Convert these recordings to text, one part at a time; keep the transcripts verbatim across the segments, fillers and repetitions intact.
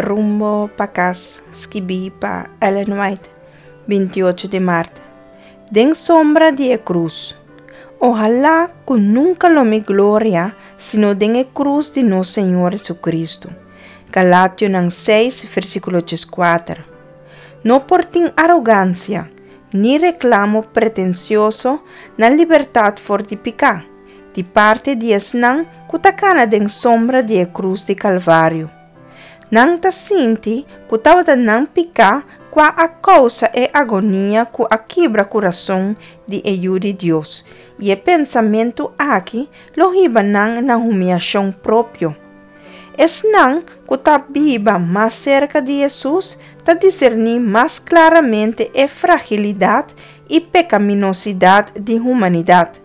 Rumbo pa Kas, skibí pa Ellen White, bintiocho di mart. Den sombra di e krus. Ohalá ku nunka lo mi gloria sino den e krus di nos Señor Hesukristu. Galationan seis, versíkulo dieskuater. No por tin arogansia, ni reklamo pretensioso na libertat for di piká, di parti di esnan ku ta kana den sombra di e krus di Kalvario. Nan ta sinti ku tabata nan piká kua a kousa e agonia ku a kibra kurason di e Yu di Dios, i e pensamentu aki lo hiba nan na humiashon propio. Esnan ku ta biba mas serka di Hesus ta diserní mas klaramente e fragilidat i pekaminosidat di humanidat,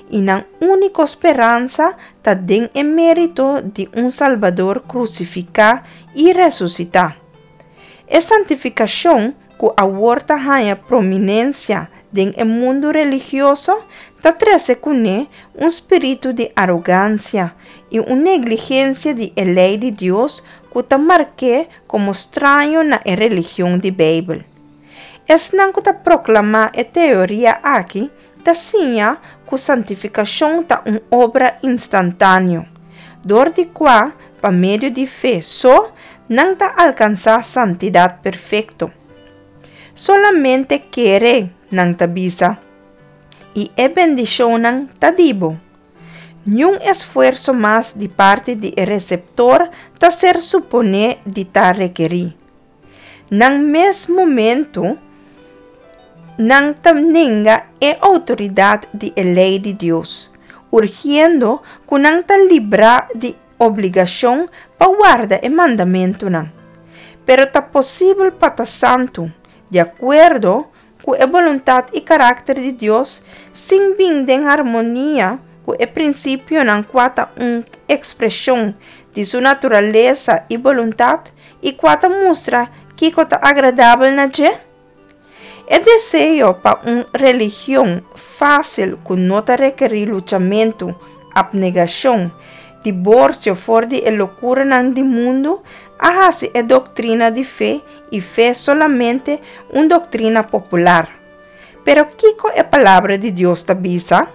i nan úniko speransa ta den e mérito di un Salbador krusifiká i resusitá. E santifikashon ku awor ta haña prominensia den e mundu religioso ta trese kuné un spiritu di arogansia i un negligensia di e lei di Dios ku ta mark'é komo straño na e religion di Beibel. Esnan ku ta proklamá e teoria aki ta siña ku santifikashon ta un obra instantáneo, dor di kua, pa medio di fe so, nan ta alkansá santidat perfekto. Solamente kere, nan ta bisa, i e bendishonnan ta di bo. Niun esfuerso mas di parti di e reseptor ta ser suponé di ta rekerí. Na mes momentu, nan ta nenga e outoridat di e lei di Dios, urgiendo ku nan ta librá di obligashon pa warda e mandamentunan. Pero ta posibel pa ta santu, di akuerdo ku e boluntat i karakter di Dios, sin bin den harmonia ku e prinsipionan kua ta un ekspreshon di su naturalesa i boluntat i kua ta mustra kiko ta agradabel na dje? E deseo pa un religion fásil ku no ta rekerí luchamentu, apnegashon, diborsio for di e lokuranan di mundu a hasi e doktrina di fe i fe solamente un doktrina popular. Pero kiko e Palabra di Dios ta bisa?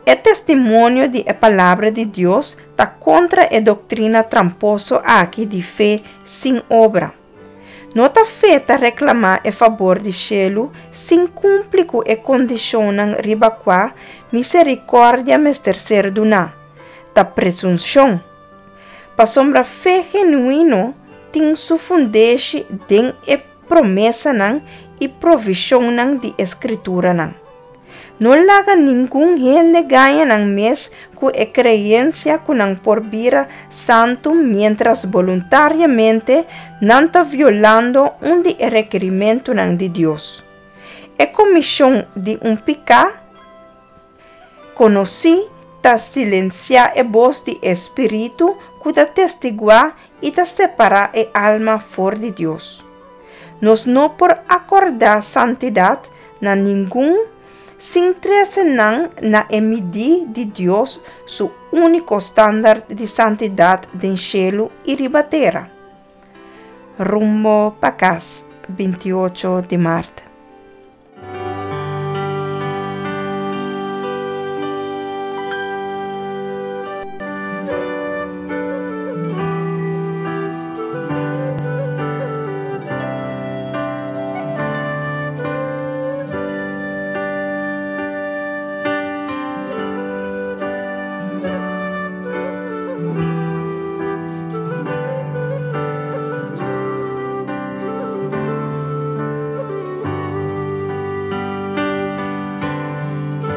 E testimonio di e Palabra di Dios ta kontra e doktrina tramposo aki di fe sin obra. No ta fe ta reklamá e fabor di shelu sin kumpli ku e kondishonnan riba kua miserikòrdia mester ser duná. Ta presunshon. Pasobra fe genuino tin su fundeshi den e promesanan i provishonnan di e Skrituranan. No laga ningun hende gaña nan mes ku e kreensia ku nan por bira santu miéntras boluntariamente nan ta violando un di e rekerimentunan di Dios. E komishon di un piká konosí ta silensiá e bos di e Spiritu ku ta testiguá i ta separá e alma for di Dios. Nos no por akordá santidat na ningun sin trese nan na e midí di Dios su úniko standart di santidat den shelu i riba tera. Rumbo pa Kas, bintiocho di mart.